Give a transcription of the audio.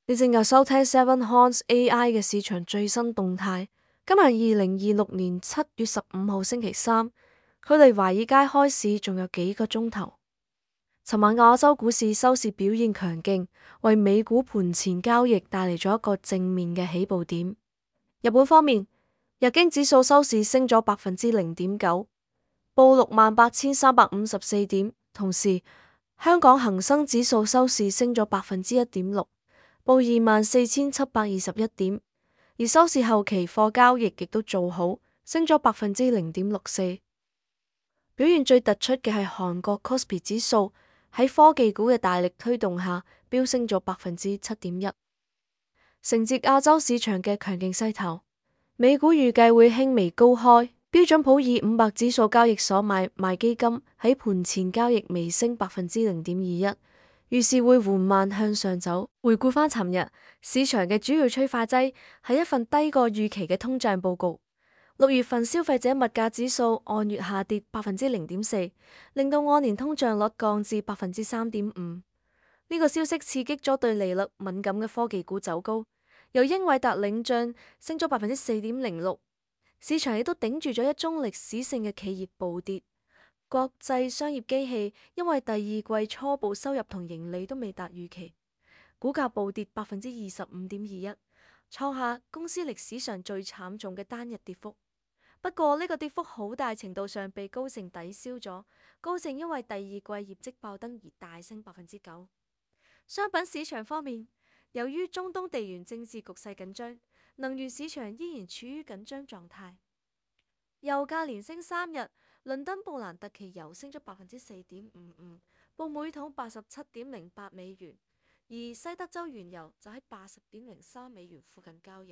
你正在收聽 Seven Horns AI 嘅市場最新動態。今日2026年7月15號星期三，距離華爾街開市仲有幾個鐘頭。尋晚亞洲股市收市表現強勁，為美股盤前交易帶嚟咗一個正面嘅起步點。日本方面，日經指數收市升咗0.9%，報68,354點。同時，香港恒生指數收市升咗1.6%。報24,721點，而收市後期貨交易亦都做好，升咗0.64%。表現最突出嘅係韓國 Kospi 指數喺科技股嘅大力推動下，飆升咗7.1%。承接亞洲市場嘅強勁勢頭，美股預計會輕微高開，標準普爾500指數交易所買賣基金喺盤前交易微升0.21%。於是會緩慢向上走。回顧返尋日市場嘅主要催化劑係一份低過預期嘅通脹報告。6月份消費者物價指數按月下跌0.4%，令到按年通脹率降至3.5%。呢個消息刺激咗對利率敏感嘅科技股走高，由英偉達領漲升咗4.06%。市場亦都頂住咗一宗歷史性嘅企業暴跌。國際商業機器因為第二季初步收入同盈利都未達預期，股價暴跌25.21%，創下公司歷史上最慘重嘅單日跌幅。不過呢個跌幅好大程度上被高盛抵消咗，高盛因為第二季業績爆燈而大升9%。商品市場方面，由於中東地緣政治局勢緊張，能源市場依然處於緊張狀態。油價連升3日。倫敦布蘭特期油升咗4.55%，報每桶87.08美元，而西德州原油就喺80.03美元附近交易。